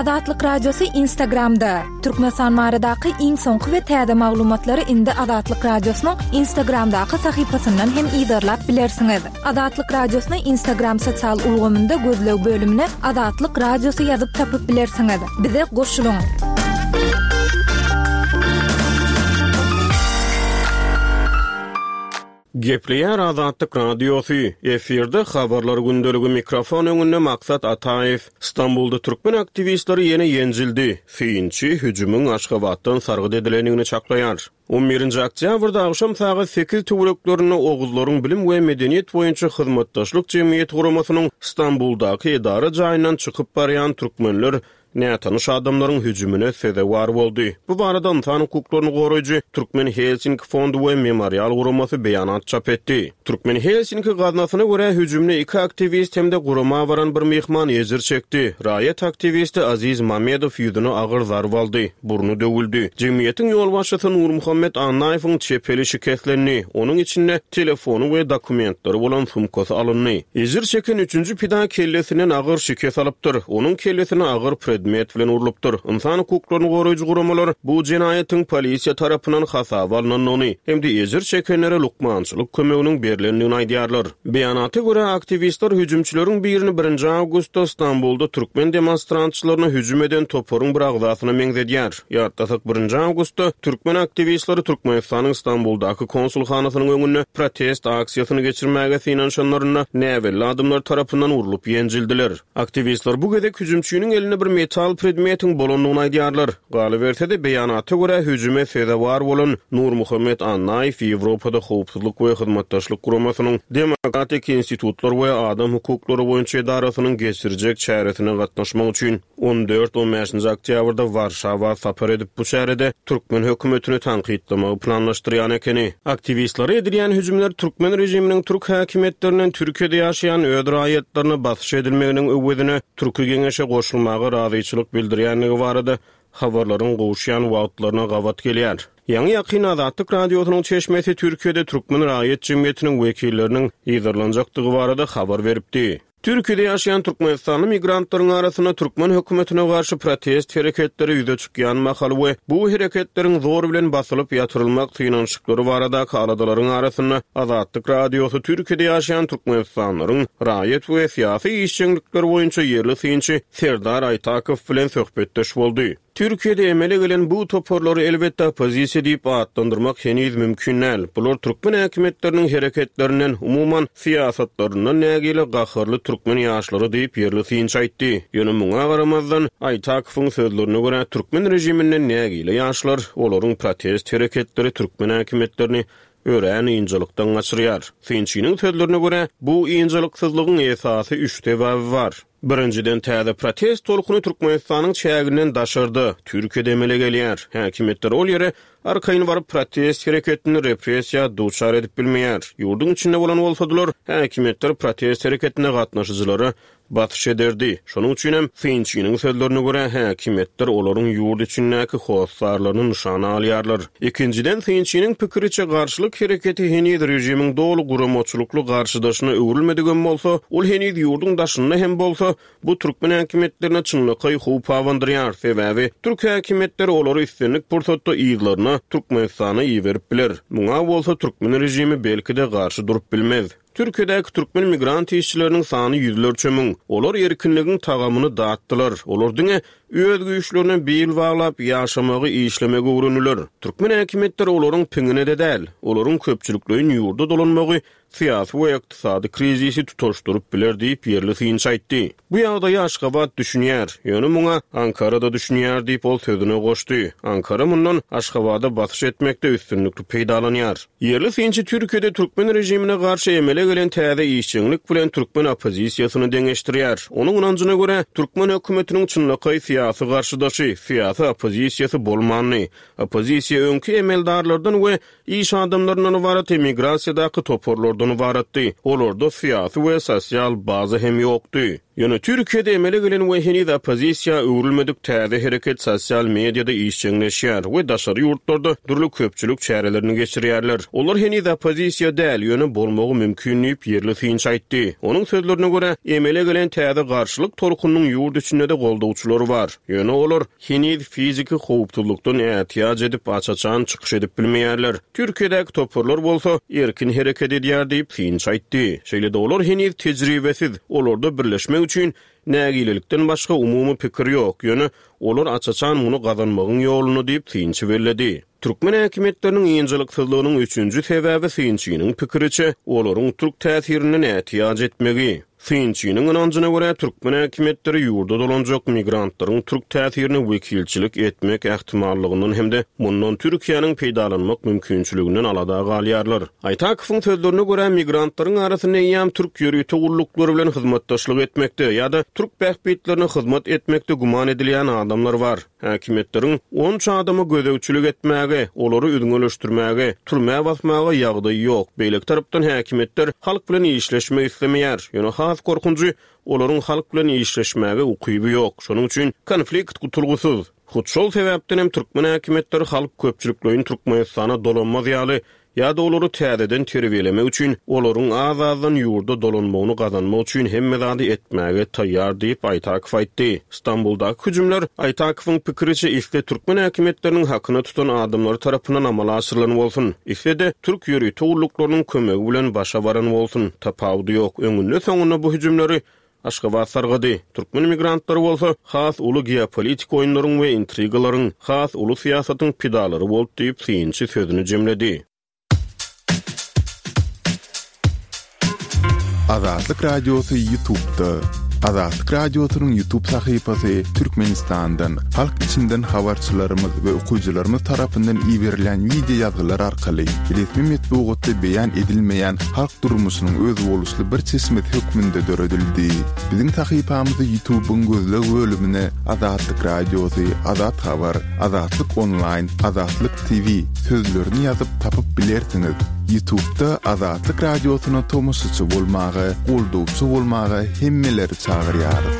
Azatlyk Radiosy Instagramda! Türkmenistan baradaky iň soňky we täze maglumatlary indi Azatlyk Radiosynyň Instagramdaky sahypasyndan hem yzarlap bilersiňiz. Azatlyk Radiosyny Instagram sosial ulgamynda gözleg bölümine Azatlyk Radiosy ýazyp tapyp bilersiňiz. Bize goşulyň! Gepleýär Azatlyk Radiosy, efirde Habarlar gündeligi mikrofon öňünde Maksat Ataýew. Stambulda türkmen aktiwistleri ýene ýenjildi. Synçy hüjümiň Aşgabatdan sargyt edilendigini çaklaýar. On birinji oktýabrda agşam sagat sekiz töwereklerinde Oguzlaryň bilim we medeniýet boýunça hyzmatdaşlyk jemgyýeti guramasynyň Stambuldaky edara jaýyndan çykyp barýan türkmenler nätanyş adamlaryň hüjümine sezewar boldy. Bu barada ynsan hukuklaryny goraýjy Türkmen Helsinki fondy we Memorial guramasy beýanat çap etdi. Türkmen Helsinki gaznasyna görä, hüjümde iki aktiwist hem-de gurama baran bir myhman ejir çekdi. Raýat aktiwisti Aziz Mamedow ýüzüne agyr zarba aldy, burny döwüldi. Jemgyýetiň ýolbaşçysy Nurmuhammet Annaýewiň çep eli şikeslendi, onuň içinde telefony we dokumentleri bolan sumkasy alyndy. Ejir çeken üçünji pida kellesinden agyr şikes alypdyr. Onuň kellesine agyr predmet bilen urlupdyr. Ynsan hukuklaryny goraýjy guramalar bu jenaýatyň polisiýa tarapyndan hasaba alnandygyny hem-de ejir çekenlere lukmançylyk kömeginiň berlendigini aýdýarlar. Beýanata görä, aktiwistler hüjümçileriň birini birinji awgustda Stambulda türkmen demonstrantçylaryna hüjüm eden toparyň bir agzasyna meňzedýär. Ýatlasak, birinji awgustda türkmen aktiwistleri Türkmenistanyň Stambuldaky konsulhanasynyň öňünde protest aksiýasyny geçirmäge synanyşanlarynda näbelli adamlar tarapyndan urlup ýenjildiler. Aktiwistler bu gezek hüjümçiniň elinde bir metal predmetiň bolandygyny aýdýarlar. Galyberse-de, beýanata görä, hüjüme sezewar bolan Nurmuhammet Annaýew Ýewropada Howpsuzlyk we Hyzmatdaşlyk Guramasynyň Demokratik institutlar we adam hukuklary boýunça edarasynyň geçirjek çäresine gatnaşmak üçin On dört-on bäşinji oktýabrda Warşawa sapar edip, bu çärede türkmen hökümetini tankytlamagy planlaşdyrýan ekeni. Aktiwistlere edilýän hüjümler türkmen režiminiň türk häkimiýetlerinden Türkiýede ýaşaýan öz raýatlaryna basyş edilmeginiň öwezine Türki Geňeşe goşulmaga razyçylyk bildirýändigi barada habarlaryň gowuşýan wagtlaryna gabat gelýär. Ýaňy-ýakyn Azatlyk Radiosynyň çeşmesi Türkiýede türkmen raýat jemgyýetiniň wekilleriniň yzarlanjakdygy barada habar beripdi. Türkiýede ýaşaýan türkmenistanly migrantlaryň arasynda türkmen hökümetine garşy protest hereketleri ýüze çykýan mahaly we bu hereketleriň zor bilen basylyp ýatyrylmak synanyşyklary baradaky aladalaryň arasynda Azatlyk Radiosy Türkiýede ýaşaýan türkmenistanlylaryň raýat we syýasy işjeňlikleri boýunça ýerli synçy Serdar Aýtakow bilen söhbetdeş boldy. Türkiýede emele gelen bu toparlary elbetde oppozisiýa diýip atlandyrmak heniz mümkin däl. Bular türkmen häkimiýetleriniň hereketlerinden, umuman, syýasatlaryndan nägile gaharly türkmen ýaşlary diýip, ýerli synçy aýtdy. Ýöne muňa garamazdan, Aýtakowyň sözlerine görä, türkmen režiminden nägile ýaşlar, olaryň protest hereketleri türkmen häkimiýetlerini örän ynjalykdan gaçyrýar. Synçynyň sözlerine görä, bu ynjalyksyzlygyň esasy üç sebäbi bar. Birinjiden, täze protest tolkuny Türkmenistanyň çäginden daşarda, Türkiýede emele gelýär. Häkimiýetler ol ýere arkaýyn baryp protest hereketini repressiýa duçar edip bilmeýär. Ýurduň içinde bolan bolsadylar, häkimiýetler protest hereketine gatnaşyjylara basyş ederdi. Şonuň üçinem, synçynyň sözlerine görä, häkimiýetler olaryň ýurt içindäki hossarlaryny nyşana alýarlar. Ikinjiden, synçynyň pikiriçe, garşylyk hereketi heniz režimiň doly guramaçylykly garşydaşyna öwrülmedigem bolsa, ol heniz ýurduň daşynda hem bolsa, bu türkmen häkimiýetlerine çynlakaý howp abandyrýar, sebäbi türk häkimiýetleri olary islendik pursatda yzlaryna, Türkmenistana iberip biler. Muňa bolsa türkmen režimi belki-de garşy durup bilmez. Türkiýedäki türkmen migrant işçileriniň sany ýüzlerçe müň. Olar erkinligiň tagamyny datdylar. Olar diňe öz güýçlerine bil baglap ýaşamagy, işlemegi öwrendiler. Türkmen häkimiýetleri olaryň piňine-de däl. Olaryň köpçülikleýin ýurda dolanmagy syýasy we ykdysady krizisi tutaşdyryp biler diýip, ýerli synçy aýtdy. Bu ýagdaýa Aşgabat düşünýär. Ýöne muňa Ankara-da düşünýär diýip, ol sözüne goşdy. Ankara mundan Aşgabada basyş etmekde üstünlikli peýdalanýar. Ýerli synçy Türkiýede türkmen režimine garşy emele gelen täze işjeňlik bilen türkmen oppozisiýasyny deňeşdirýär. Onuň ynanjyna görä, türkmen hökümetiniň çynlakaý syýasy garşydaşy, syýasy oppozisiýasy bolmandy. Oppozisiýa öňki emeldarlardan we iş adamlaryndan ybarat emigrasiýadaky toparlardan ybaratdy. Olarda syýasy we sosial baza hem ýokdy. Ýöne Türkiýede emele gelen we heniz oppozisiýa öwrülmedik täze hereket sosial mediada işjeňleşýär we daşary ýurtlarda dürli köpçülik çärelerini geçirýärler. Olar heniz oppozisiýa däl, ýöne bolmagy mümkin diýip, ýerli synçy aýtdy. Onuň sözlerine görä, emele gelen täze garşylyk tolkunynyň ýurt içinde-de goldawçylary bar. Ýöne olar heniz fiziki howpsuzlykdan ätiýaç edip, aç-açan çykyş edip bilmeýärler. Türkiýedäki toparlar bolsa, erkin hereket edýär diýip, synçy aýtdy. Şeýle-de olar heniz tejribesiz, olarda birleşmek üçin nägilelikden başga umumy pikir ýok, ýöne olar aç-açan muny gazanmagyň ýolunda diýip, synçy belledi. Türkmen häkimiýetleriniň ynjalyksyzlygynyň üçünji sebäbi synçynyň pikiriçe, olaryň türk täsirinden ätiýaç etmegi. Synçynyň ynanjyna görä, türkmen häkimiýetleri ýurda dolanjak migrantlaryň türk täsirine wekilçilik etmek ähtimallygyndan hem-de mundan Türkiýäniň peýdalanmak mümkinçiliginden alada galýarlar. Aýtakowyň sözlerine görä, migrantlaryň arasynda eýýäm türk ýörite gulluklary bilen hyzmatdaşlyk etmekde ýa-da türk bähbitlerine hyzmat etmekde güman edilýän adamlar bar. Häkimiýetleriň onça adama gözegçilik etmäge, olary üzňeleşdirmäge, türmä basmaga ýagdaýy ýok. Beýleki tarapdan häkimiýetler halk bilen işleşmek islemeýär. Ýöne has gorkunjy, olaryň halk bilen işleşmäge ukyby ýok. Şonuň üçin konflikt gutulgysyz. Hut şol sebäpden hem türkmen häkimiýetleri halk köpçülikleýin Türkmenistana dolanmaz ýaly Ýa-da olary täzeden terbiýelemek üçin, olaryň az-azdan ýurda dolanmagyny gazanmak üçin hemme zady etmäge taýýar diýip, Aýtakow aýtdy. Stambuldaky hüjümler, Aýtakowyň pikiriçe, isle türkmen häkimiýetleriniň hakyna tutan adamlary tarapyndan amala aşyrylan bolsun, isle-de türk ýörite gulluklarynyň kömegi bilen başa baran bolsun, tapawudy ýok, öňünde-soňunda bu hüjümleri Aşgabat sargady. Türkmen migrantlary bolsa has uly geopolitik oýunlaryň we intrigalaryň, has uly syýasatyň pidalary boldy diýip, synçy sözüni jemledi. Azatlyk Radiosy Ýutubda. Azatlyk Radiosynyň Ýutub sahypasy Türkmenistandan, halk içinden habarçylarymyz we okyjylarymyz tarapyndan iberilýän wideo ýazgylar arkaly resmi metbugatda beýan edilmeýän halk durmuşynyň özboluşly bir çeşmesi hökmünde döredildi. Biziň sahypamyzy YouTube-yň gözleg bölümine Azatlyk Radiosy, Azat Habar, Azatlyk Onlaýn, Azatlyk TV sözlerini ýazyp tapyp bilersiňiz. YouTube-da Azatlyk Radiosyna tomaşaçy bolmaga, goldawçy bolmaga hemmeleri çagyrýarys.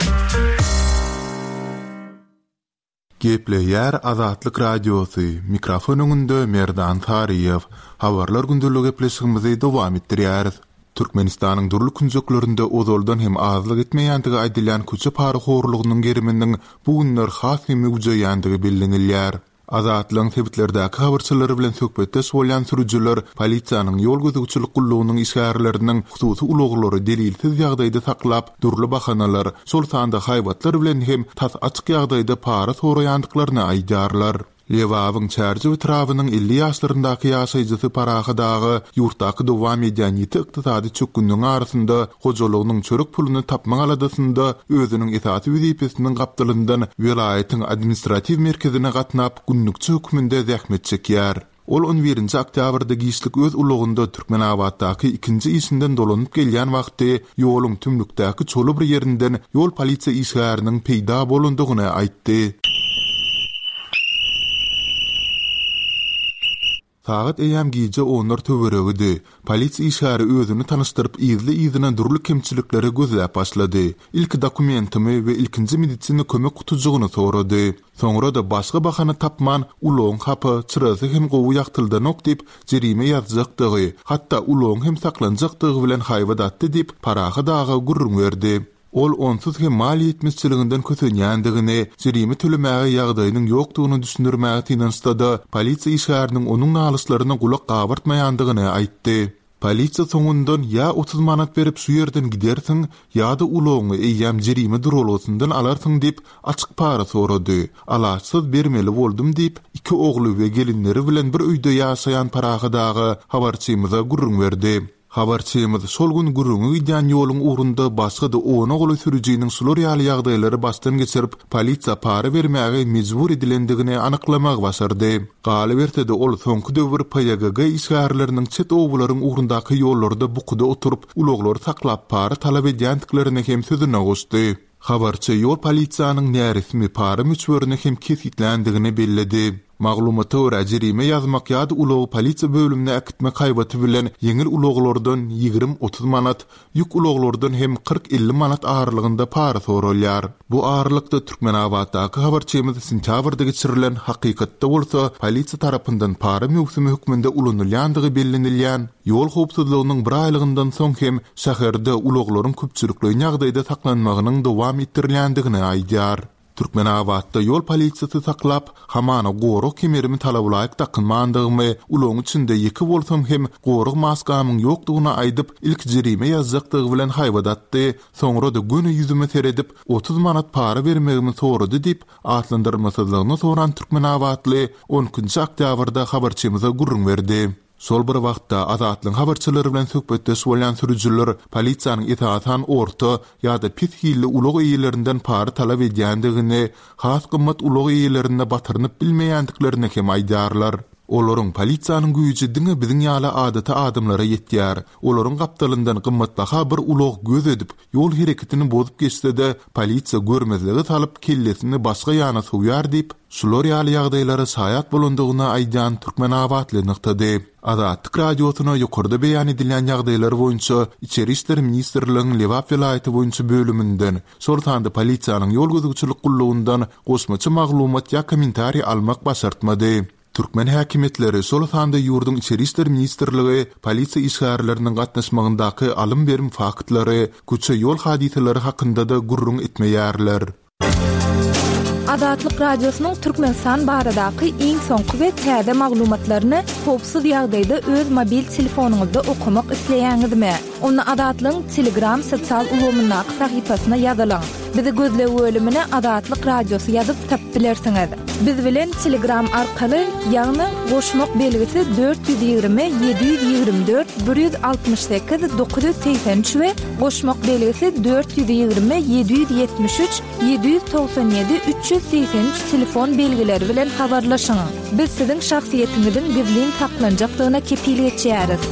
Gepleýär Azatlyk Radiosy, mikrofon öňünde Merdan Saryýew. Habarlar gündelik gepleşigimizi dowam etdirýäris. Türkmenistanyň dürli künjeklerinde ozaldan hem azlyk etmeýändigi aýdylýan köçe parahorlugynyň geriminiň bu günler has hem möwjeýändigi bellenilýär. Azatlygyň sebitlerdäki habarçylary bilen söhbetdeş bolýan sürüjiler polisiýanyň ýol gözegçilik gullugynyň işgärleriniň hususy ulaglary delilsiz ýagdaýda saklap, dürli bahanalar, şol sanda haýbatlar bilen hem tas açyk ýagdaýda para soraýandyklaryny aýdýarlar. Lebabyň Çärjew etrabynyň 50 ýaşlaryndaky ýaşaýjysy Parahat aga ýurtdaky dowam edýän ýiti ykdysady çökgünligiň arasynda hojalygynyň çörek puluny tapmak aladasynda özüniň esasy wezipesiniň gapdalyndan welaýatyň administratiw merkezine gatnap, günlükçi hökmünde zähmet çekýär. Ol on birinji oktýabrda giçlik öz ulagynda Türkmenabatdaky ikinji işinden dolanyp gelýän wagty ýoluň tümlükdäki çola bir ýerinden ýol polisiýa işgäriniň peýda bolandygyny aýtdy. Sagat eýýäm gije onlar töweregidi. Polisiýa işgäri özüni tanyşdyryp yzly-yzyna dürli kemçilikleri gözläp başlady. Ilki dokumentimi we ilkinji medisina kömek gutujygyny sorady. Soňra-da başga bahana tapman, ulagyň hapa, çyrasy hem gowy ýagtyldanok diýip, jerime ýazjakdygy, hatda ulagyň hem saklanjakdygy bilen haýbat atdy diýip, Parahat aga gürrüň berdi. Ol onsuz hem maliýe ýetmezçiliginden kösenýändigini, jerime tölemäge ýagdaýynyň ýokdugyny düşündirmäge synanyşsa-da, polisiýa işgäriniň onuň nalyşlaryna gulak gabartmaýandygyny aýtdy. Polisiýa soňundan ýa 30 manat berip şu ýerden gidersiň, ýa-da ulagyňy eýýäm jerime duralgasyndan alarsyň diýip, açyk para sorady. Alaçsyz bermeli boldum diýip, iki ogly we gelinleri bilen bir öýde ýaşaýan Parahat aga habarçymyza gürrüň berdi. Habarçymyz şol gün gürrüňi gidýän ýoluň ugrunda başga-da ona golaý sürüjiniň şular ýaly ýagdaýlary başdan geçirip, polisiýa para bermäge mejbur edilendigini anyklamagy başardy. Galyberse-de, ol soňky döwür PYGG işgärleriniň çet obalaryň ugrundaky ýollarda bukuda oturyp, ulaglary saklap para talap edýändiklerini hem sözüne goşdy. Habarçy ýol polisiýanyň näresmi para möçberini hem kesgitländigini belledi. Maglumata görä, jerime ýazmak ýa-da ulagy polisiýa bölümine äkitmek haýbaty bilen ýeňil ulaglardan 20-30 manat, ýük ulaglardan hem 40-50 manat aralygynda para soralýar. Bu aralykda, Türkmenabatdaky habarçymyz sentýabrda geçirilen, hakykatda bolsa polisiýa tarapyndan para möwsümi hökmünde ulanylýandygy bellenilýän ýol howpsuzlygynyň bir aýlygyndan soň hem şäherde ulaglaryň köpçülikleýin ýagdaýda saklanmagynyň dowam etdirilýändigini aýdýar. Türkmenabatda ýol polisiýasy saklap, hamana gorag kemerimi talabalaýyk dakynmandygymy, ulagyň içinde ýeke bolsam hem gorag maskamyň ýokdugyny aýdyp, ilki jerime ýazjakdygy bilen haýbat atdy, soňra-da göni ýüzüme seredip, 30 manat para bermegimi sorady diýip, atlandyrylmasyzlygyny soran türkmenabatly on ikinji oktýabrda habarçymyza gürrüň berdi. Şol bir wagtda, Azatlygyň habarçylary bilen söhbetdeş bolýan sürüjiler polisiýanyň esasan orta ýa-da pes hilli ulag eýelerinden para talap edýändigini, has gymmat ulag eýelerine batyrynyp bilmeýändiklerini hem aýdýarlar. Olaryň polisiýanyň güýji diňe biziň ýaly adaty adamlara ýetýär. Olaryň gapdalyndan gymmatbaha bir ulag göz edip, ýol hereketini bozup geçse-de, polisiýa görmezlige salyp, kellesini başga ýana sowýar diýip, Şular ýaly ýagdaýlara şaýat bolandygyny aýdýan türkmenabatly nygtady. Azatlyk Radiosyna ýokarda beýan edilýän ýagdaýlar boýunça Içeri işler ministrligiň Lebap welaýaty boýunça bölüminden, şol sanda polisiýanyň ýol gözegçilik gullugyndan goşmaça maglumat ýa kommentariý almak başartmady. Türkmen häkimiýetleri, şol sanda ýurduň Içeri işler ministrligi polisiýa işgärleriniň gatnaşmagyndaky alym-berim faktlary, köçe-ýol hadysalary hakynda-da gürrüň etmeýärler. Azatlyk Radiosynyň Türkmenistan baradaky iň soňky we täze maglumatlaryny howpsuz ýagdaýda öz mobil telefonyňyzda okamak isleýäňizmi? Onda Azatlygyň Telegram sosial ulgamyndaky sahypasyna ýazylyň. Bizi gözleg bölümine Azatlyk Radiosy ýazyp tapyp bilersiňiz. Biz bilen Telegram arkaly, ýagny goşmak belgisi 420 724 168 983 we Goşmak belgisi 420 773 797 383 telefon belgileri bilen habarlaşyň. Biz siziň şahsyýetiňiziň gizlin saklanjakdygyna kepil geçýäris.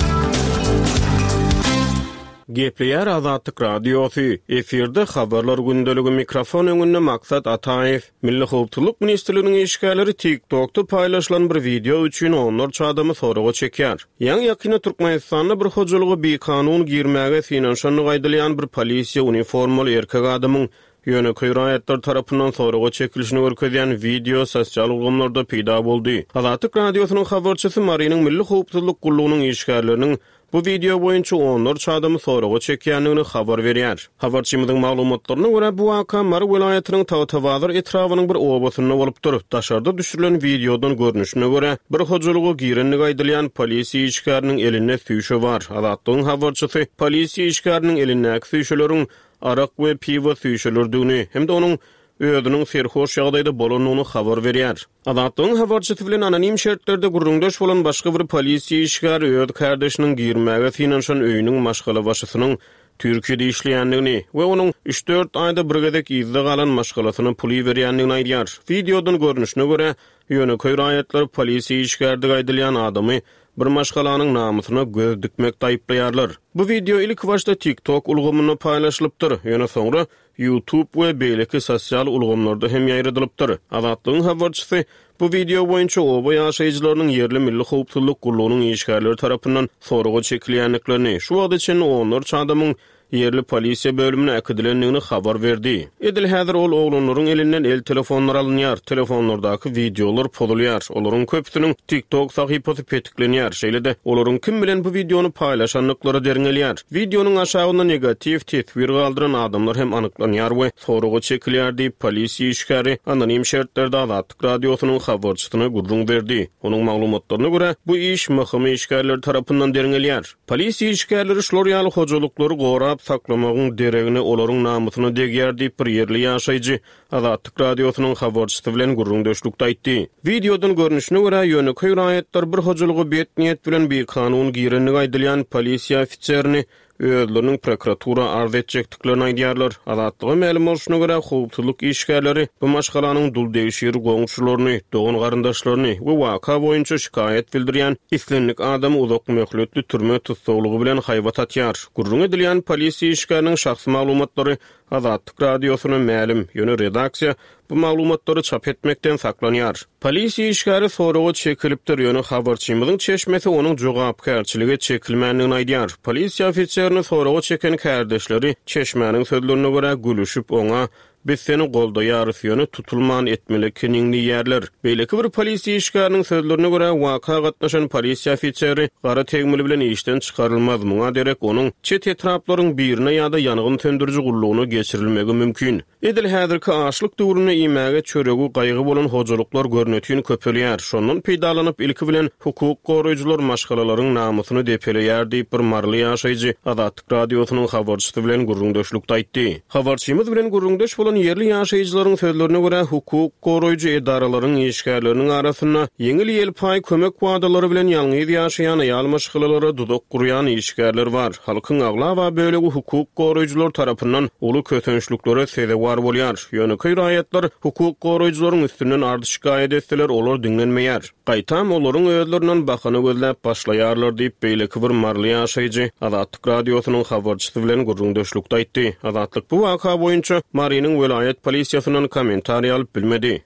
Gepleýär Azatlyk Radiosy, efirde Habarlar gündeligi mikrofon öňünde Maksat Ataýew. Milli howpsuzlyk ministrliginiň işgärleri TikTokda paýlaşylan bir wideo üçin onlarça adamy soraga çekýär. Ýaňy-ýakynda Türkmenistanda bir hojalyga bikanun girmäge synanyşandygy aýdylýan bir polisiýa uniformaly erkek adamyň ýönekeý raýatlar tarapyndan soraga çekilişini görkezýän wideo sosial ulgamlarda peýda boldy. Azatlyk Radiosynyň habarçysy Marynyň Milli howpsuzlyk gullugynyň işgärleriniň Bu wideo boýunça onlarça adamy soraga çekýändigini habar berýär. Habarçymyzyň maglumatlaryna görä, bu waka Mary welaýatynyň Tagtabazar etrabynyň bir obasynda bolupdyr. Daşarda düşürilen wideodan görnüşine görä, bir hojalyga girendigi aýdylýan polisiýa işgäriniň elinde süýşe bar. Azatlygyň habarçysy polisiýa işgäriniň elindäki süýşeleriň arak we piwo süýşeleridigini hem-de onuň özüniň serhoş ýagdaýda bolandygyny habar berýär. Azatlygyň habarçysy bilen anonim şertlerde gürrüňdeş bolan başga bir polisiýa işgäri öz kärdeşiniň girmäge synanyşan öýüniň maşgalabaşysynyň Türkiýede işleýändigini we onuň üç-dört aýda bir gezek yzda galan maşgalasyna pul iberýändigini aýdýar. Wideodan görnüşine görä, ýönekeý raýatlar polisiýa işgäridigi aýdylýan adamy bir maşgalanyň namysyna göz dikmekde aýyplaýarlar. Bu wideo ilkibaşda TikTok ulgamynda paýlaşylypdyr, ýöne soňra YouTube we beýleki sosial ulgamlarda hem ýaýradylypdyr. Azatlygyň habarçysy bu wideo boýunça oba ýaşaýjylarynyň ýerli Milli howpsuzlyk gullugynyň işgärleri tarapyndan soraga çekilýändiklerini, şu wagta çenli onlarça adamyň ýerli polisiýa bölümine äkidilendigini habar berdi. Edil häzir ol oglanlaryň elinden el telefonlary alynýar, telefonlardaky wideolar pozulýar, olaryň köpüsiniň TikTok sahypasy petiklenýär, şeýle-de olaryň kim bilen bu wideony paýlaşandyklary derňelýär. Wideonyň aşagynda negatiw teswir galdyran adamlar hem anyklanýar we soraga çekilýär diýip, polisiýa işgäri anonim şertlerde Azatlyk Radiosynyň habarçysyna gürrüň berdi. Onuň maglumatlaryna görä, bu iş MHM işgärleri tarapyndan derňelýär. Polisiýa işgärleri şular ýaly hojalyklary gorap saklamagyň deregine olaryň namysyna degýär diýip, bir ýerli ýaşaýjy Azatlyk Radiosynyň habarçysy bilen gürrüňdeşlikde aýtdy. Wideodan görnüşine görä, ýönekeý raýatlar bir hojalyga bet niýet bilen bikanun girendigi aýdylýan polisiýa ofiserini özleriniň prokuratura arz etjekdiklerini aýdýarlar. Azatlyga mälim bolşuna görä, howpsuzlyk işgärleri bu maşgalanyň duldegşir goňşularyny, dogan-garyndaşlaryny we waka boýunça şikaýat bildirýän islendik adamy uzak möhletli türme tussaglygy bilen haýbat atýar. Gürrüňi edilýän polisiýa işgäriniň şahsy maglumatlary. Azatlyk Radiosyna mälim, ýöne redaksiýa bu maglumatlary çap etmekden saklanýar. Polisiýa işgäri soraga çekilipdir, ýöne habarçymyzyň çeşmesi onuň jogapkärçilige çekilmändigini aýdýar. Polisiýa ofiserini soraga çeken kärdeşleri, çeşmäniň sözlerine görä, gülüşip, oňa Biz seni goldaýarys, ýöne tutulman etmeli ekeniň diýýärler. Beýleki bir polisiýa işgäriniň sözlerine görä, waka gatnaşan polisiýa ofiseri gara tegmil bilen işden çykarylmaz, muňa derek onuň çet etraplaryň birine ýa-da ýangyn söndüriji gullugyna geçirilmegi mümkin. Edil häzirki açlyk döwründe iýmäge çöregi gaýgy bolan hojalyklar görnetin köpelýär. Şondan peýdalanyp, ilki bilen, hukuk goraýjylar maşgalalaryň namysyny depeleýär diýip, bir maryly ýaşaýjy Azatlyk Radiosynyň habarçysy bilen gürrüňdeşlikde aýtdy. Habarçymyz bilen gürrüňdeş bolan ýerli ýaşaýjylaryň sözlerine görä, hukuk goraýjy edaralaryň işgärleriniň arasynda ýeňil-ýelpaý kömek wadalary bilen ýalňyz ýaşaýan aýal maşgalalara duzak gurýan işgärler bar. Halkyň aglaba bölegi hukuk goraýjylar tarapyndan uly kösençliklere sezewar bolýar. Ýönekeý raýatlar hukuk goraýjylaryň üstünden arz-şikaýat etseler, olar diňlenmeýär. Gaýtam, olaryň özlerinden bahana gözläp başlaýarlar diýip, beýleki bir maryly ýaşaýjy Azatlyk Radiosynyň habarçysy bilen gürrüňdeşlikde aýtdy. Azatlyk bu waka boýunça Marynyň welaýat polisiýasyndan kommentariý alyp bilmedi.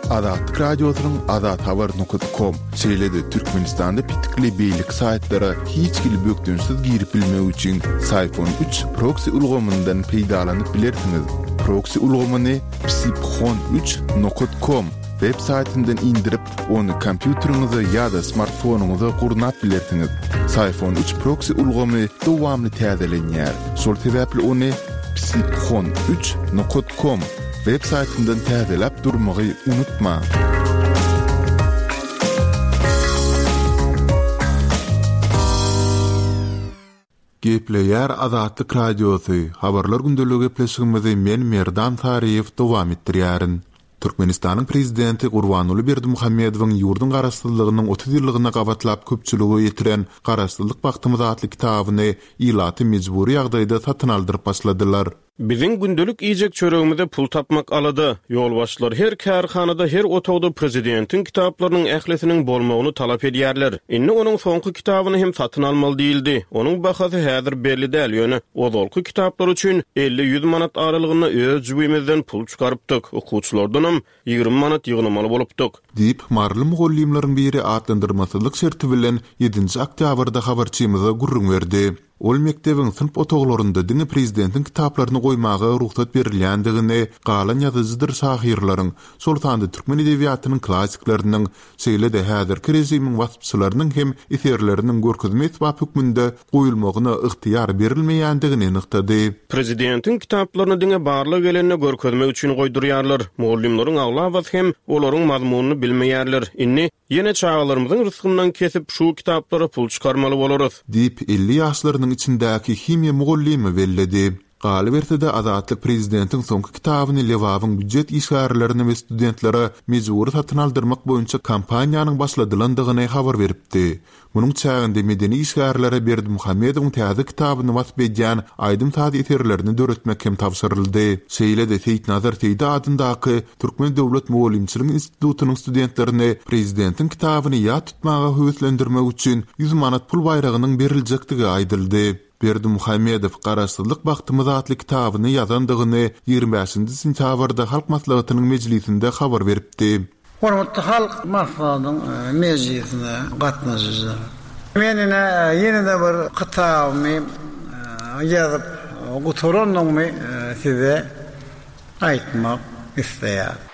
Azatlyk Radiosynyň azathabar nokat kom, şeýle-de Türkmenistanda petikli beýleki saýtlara hiç hili bökdençsiz girip bilmek üçin Syphon üç proksi ulgamyndan peýdalanyp bilersiňiz. Proksi ulgamyny psiphon üç nokat kom web saýtyndan indirip, ony kompýuteriňize ýa-da smartfonyňyza gurnap bilersiňiz. Syphon üç proksi ulgamy dowamly täzelenýär. Şol sebäpli ony psiphon üç nokat kom web saýtyndan täzeläp durmagy unutmaň. Gepleýär Azatlyk Radiosy, Habarlar gündeligi gepleşigimizi men Merdan Saryýew dowam etdirýärin. Türkmenistanyň Prezidenti Gurbanguly Berdimuhamedowyň ýurduň Garaşsyzlygynyň 30 ýyllygyna gabatlap köpçülige ýetiren Garaşsyzlyk bagtymyz atly kitabyny ilata mejbury ýagdaýda satyn aldyryp başladylar. Biziň gündelik iýjek çöregimize pul tapmak alada. Ýolbaşçylar her kärhanada, her otagda prezidentiň kitaplarynyň ählisiniň bolmagyny talap edýärler. Indi onuň soňky kitabyny hem satyn almaly diýildi. Onuň bahasy häzir belli däl, ýöne ozalky kitaplar üçin elli-ýüz manat aralygynda öz jübimizden pul çykarypdyk, okuwçylardanam 20 manat ýygnamaly bolupdyk. Diýip, maryly mugallymlaryň biri atlandyrmasyzlyk şerti bilen ýedinji oktýabrda habarçymyza gürrüň berdi. Ol mekdebiň synp otaglarynda diňe prezidentiň kitaplaryny goýmaga rugsat berilýändigini, galan ýazyjydyr şahyrlaryň, şol sanda türkmen edebiýatynyň klassikleriniň, şeýle-de häzirki režimiň waspçylarynyň hem eserleriniň görkezme esbap hökmünde goýulmagyna ygtyýar berilmeýändigini nygtady. Prezidentiň kitaplaryny diňe barlag gelende görkezmek üçin goýdurýarlar. Mugallymlaryň aglabasy hem olaryň mazmunyny bilmeýärler. Indi, ýene çagalarymyzyň rysgyndan kesip, şu kitaplara pul çykarmaly bolarys. Diýip, 50 ýaşlarynyň içindäki himiýa mugallymy belledi. Galyberse-de, Azatlyk prezidentiň soňky kitabyny Lebabyň býujet işgärlerine we studentlere mejbury satyn aldyrmak boýunça kampaniýanyň başladylandygyny habar beripdi. Munuň çäginde medeni işgärlere Berdimuhamedowyň täze kitabyny wasp edýän aýdym-saz eserlerini döretmek hem tabşyryldy. Şeýle-de Seýitnazar Seýdi adyndaky Türkmen döwlet mugallymçylyk institutynyň studentlerini prezidentiň kitabyny ýat tutmaga höweslendirmek üçin 100 manat pul baýragynyň beriljekdigi aýdyldy. Berdimuhamedow Garaşsyzlyk bagtymyz atly kitabyny ýazandygyny 25-nji sentýabrda Halk Maslahatynyň mejlisinde habar beripdi. Hormatly Halk Maslahatynyň mejlisine gatnaşyjylar! Men ine ýene-de bir kitabymy ýazyp gutarandygymy size aýtmak isleýärin.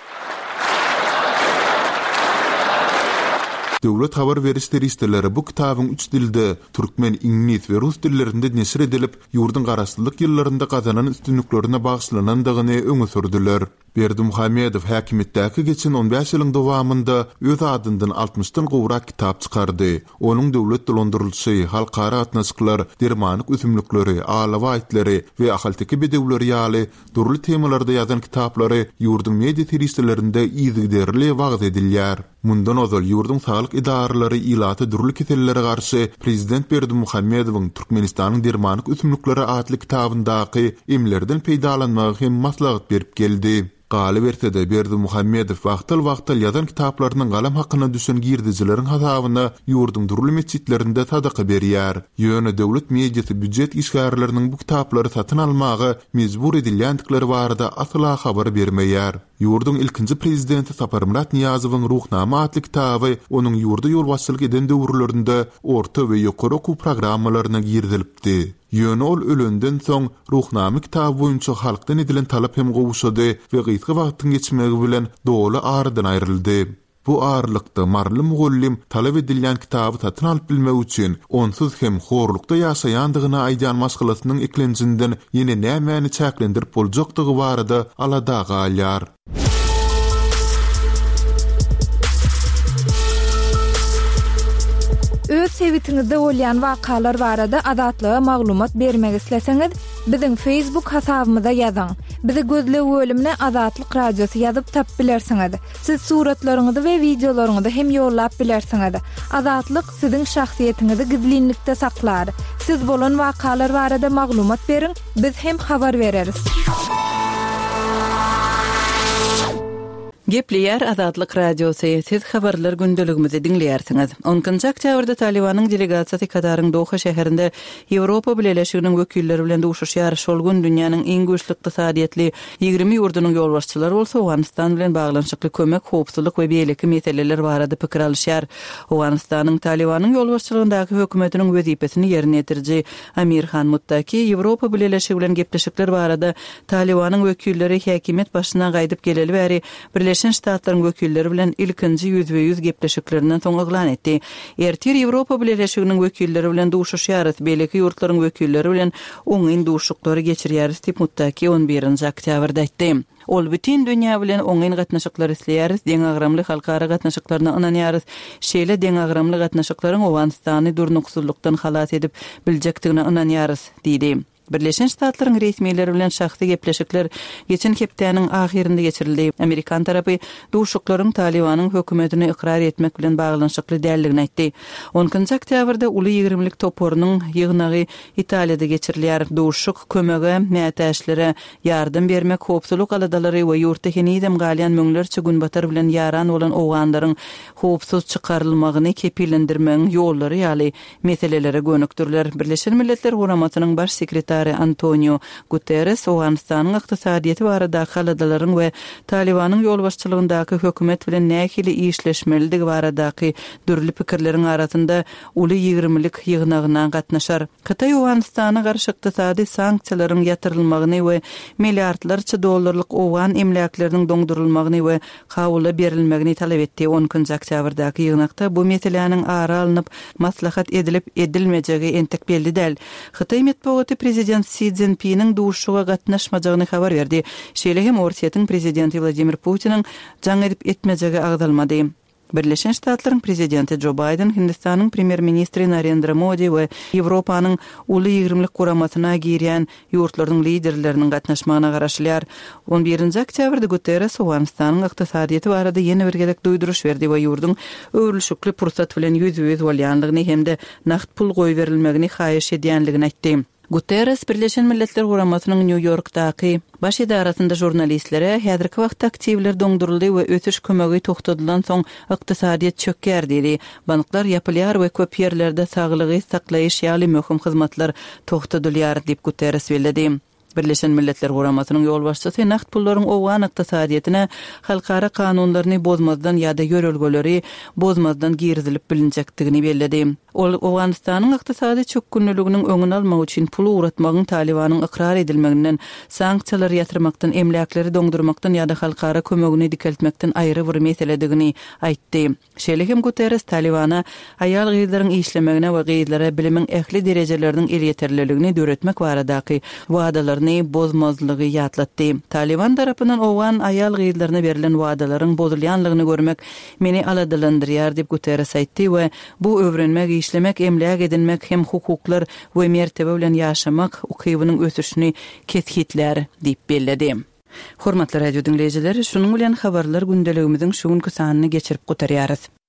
Döwlet habar beriş serişdeleri bu kitabyň üç dilde, türkmen, iňlis we rus dillerinde neşir edilip, ýurduň garaşsyzlyk ýyllarynda gazanan üstünliklerine bagyşlanandygyny öňe sürdüler. Berdimuhamedow häkimiýetdäki geçen on bäş ýylyň dowamynda öz adyndan altmyşdan gowrak kitap çykardy. Onuň döwlet dolandyrylyşy, halkara gatnaşyklar, dermanlyk ösümlikleri, alabaý itleri we ahalteke bedewleri ýaly Dürli temalarda ýazan kitaplary ýurduň media serişdelerinde yzygiderli wagyz edilýär. Mundan ozal ýurduň saglyk edaralary ilata dürli kesellere garşy prezident Berdimuhamedowyň Türkmenistanyň dermanlyk ösümlikleri atly kitabyndaky emlerden peýdalanmagy hem maslahat berip geldi. Galyberse-de, Berdimuhamedow wagtal-wagtal ýazan kitaplarynyň galam hakyna düşen girdejileriň hasabyna ýurduň dürli metjitlerinde sadaka berýär. Ýöne döwlet mediasy býujet işgärleriniň bu kitaplary satyn almaga mejbur edilýändikleri barada asla habar bermeýär. Ýurduň ilkinji prezidenti Saparmyrat Nyýazowyň Ruhnama atly kitaby onuň ýurda ýolbaşçylyk eden döwürlerinde orta we ýokary okuw programmalaryna girizilipdi. Ýöne ol ölenden soň, Ruhnama kitaby boýunça halkdan edilen talap hem gowşady we gysga wagtyň geçmegi bilen doly aradan aýryldy. Bu aralykda, maryly mugallym talap edilýän kitaby satyn alyp bilmek üçin, onsuz hem horlukda ýaşaýandygyny aýdýan maşgalasynyň eklenjinden ýene nämäni çäklendirip boljakdygy barada alada galýar. Öz sebitiňizde bolýan wakalar barada Azatlyga maglumat bermek isleseňiz, biziň Facebook hasabymyza ýazyň. Bizi gözleg bölümine Azatlyk Radiosy ýazyp tapyp bilersiňiz. Siz suratlaryňyzy we wideolaryňyzy hem ýollap bilersiňiz. Azatlyk siziň şahsyýetiňizi gizlinlikde saklar. Siz bolan wakalar barada maglumat beriň, biz hem habar bereris. Gepleýär Azatlyk Radiosy, Siz Habarlar gündeligimizi diňleýärsiňiz. On ikinji oktýabrda Talybanyň delegasiýasy Kataryň Doha şäherinde Ýewropa Bileleşiginiň wekilleri bilen duşuşýar. Şol gün dünýäniň iň güýçli ykdysadyýetli 20 ýurdunyň ýolbaşçylary bolsa Owganystan bilen baglanyşykly kömek, howpsuzlyk we beýleki meseleler barada pikir alyşýar. Owganystanyň Talybanyň ýolbaşçylygyndaky hökümetiniň wezipesini ýerine ýetiriji Amir Han Muttaki Ýewropa Bileleşigi bilen gepleşikler barada Talybanyň wekilleri häkimiýet başyna gaýdyp geleli bäri Birleşen Ştatlaryň wekilleri bilen ilkinji ýüzbe-ýüz gepleşiklerinden soň yglan etdi. Ertir Ýewropa Bileleşiginiň wekilleri bilen duşuşýarys, beýleki ýurtlaryň wekilleri bilen oňyn duşuşyklary geçirýäris diýip, Muttaki on birinji oktýabrda aýtdy. Ol, Bütin dünýä bilen oňyn gatnaşyklar isleýäris, deňagramly halkara gatnaşyklaryna ynanýarys. Şeýle deňagramly gatnaşyklaryň Owganystany durnuksyzlykdan halas edip biljekdigine ynanýarys diýdi. Birleşen Ştatlaryň resmileri bilen şahsy gepleşikler geçen hepdäniň ahyrynda geçirildi. Amerikan tarapy duşuşyklaryň Talybanyň hökümetini ykrar etmek bilen baglanyşykly däldigini aýtdy. On ikinji oktýabrda Uly ýigrimlik toparynyň ýygnagy Italiýada geçirilýär. Duşuşyk kömege mätäçlere ýardam bermek, howpsuzlyk aladalary we ýurtda henizem galýan müňlerçe Günbatar bilen ýaran bolan owganlaryň howpsuz çykarylmagyny kepillendirmegiň ýollary ýaly meselelere gönükdiriler. Birleşen Milletler Guramasynyň Baş sekretary Antoniu Guterres Owganystanyň ykdysadyýeti baradaky aladalaryň we Talybanyň ýolbaşçylygyndaky hökümet bilen nähili işleşmelidigi baradaky dürli pikirleriň arasynda Uly ýigirmilik ýygnagyna gatnaşar. Hytaý Owganystana garşy ykdysady sanksiýalaryň ýatyrylmagyny we milliardlarça dollarlyk owgan emläkleriniň doňdurylmagyny we Kabula berilmegini talap etdi. On ikinji oktýabrdaky ýygnakda bu meseläniň ara alnyp maslahat edilip edilmejegi entek belli däl. Hytaý metbugaty prezident Si Szinpiniň duşuşyga gatnaşmajagyny habar berdi. Şeýle hem Orsýetiň prezidenti Wladimir Putiniň jaň edip etmejegi agzalmady. Birleşen Ştatlaryň prezidenti Jo Baýden, Hindistanyň premýer-ministri Narendra Modi we Ýewropanyň Uly ýigrimlik guramasyna girýän ýurtlarynyň liderleriniň gatnaşmagyna garaşylýar. On birinji oktýabrda Guterres Owganystanyň ykdysadyýeti barada ýene bir gezek duýduryş berdi we ýurduň öwrülişikli pursat bilen ýüzbe-ýüz bolýandygyny hem-de nagt pul goýberilmegini haýyş edýändigini aýtdy. Guterres Birleşen Milletler Guramasynyň Nýu-Ýorkdaky Baş edarasynda žurnalistlere, Häzirki wagtda aktiwler doňduryldy we ösüş kömegi togtadylansoň ykdysadyýet çökýär diýdi. Banklar ýapylýar we köp ýerlerde saglygy saklaýyş ýaly möhüm hyzmatlar togtadylýar diýip Guterres belledi. Birleşen Milletler Guramasynyň ýolbaşçysy nagt pullaryň owgan ykdysadyýetine halkara kanunlaryny bozmazdan ýa-da ýörelgeleri bozmazdan girizilip bilinjekdigini belledi. Ol Owganystanyň ykdysady çökgünliliginiň öňüni almak üçin pul ugratmagyň Talybanyň ykrar edilmeginden, sanksiýalary ýatyrmakdan, emläkleri doňdurmakdan ýa-da halkara kömegini dikeltmekden aýry bir meseledigini aýtdy. Şeýle hem Guterres Talybana aýal-gyzlaryň işlemegine we gyzlara bilimiň ähli derejeleriniň elýeterliligini döretmek baradaky wadalaryny bozmazlygy ýatlatdy. Talyban tarapyndan owgan aýal-gyzlaryna berlen wadalaryň bozulýanlygyny görmek meni aladalandyrýar diýip Guterres aýtdy we Bu öwrenmek, işlemek, emläk edinmek hem hukuklar we mertebe bilen ýaşamak ukybynyň ösüşini kesgitlär diýip belledi. Hormatly radio diňleýjiler, şunuň bilen Habarlar gündeligimiziň şu günki sanyny geçirip gutarýarys.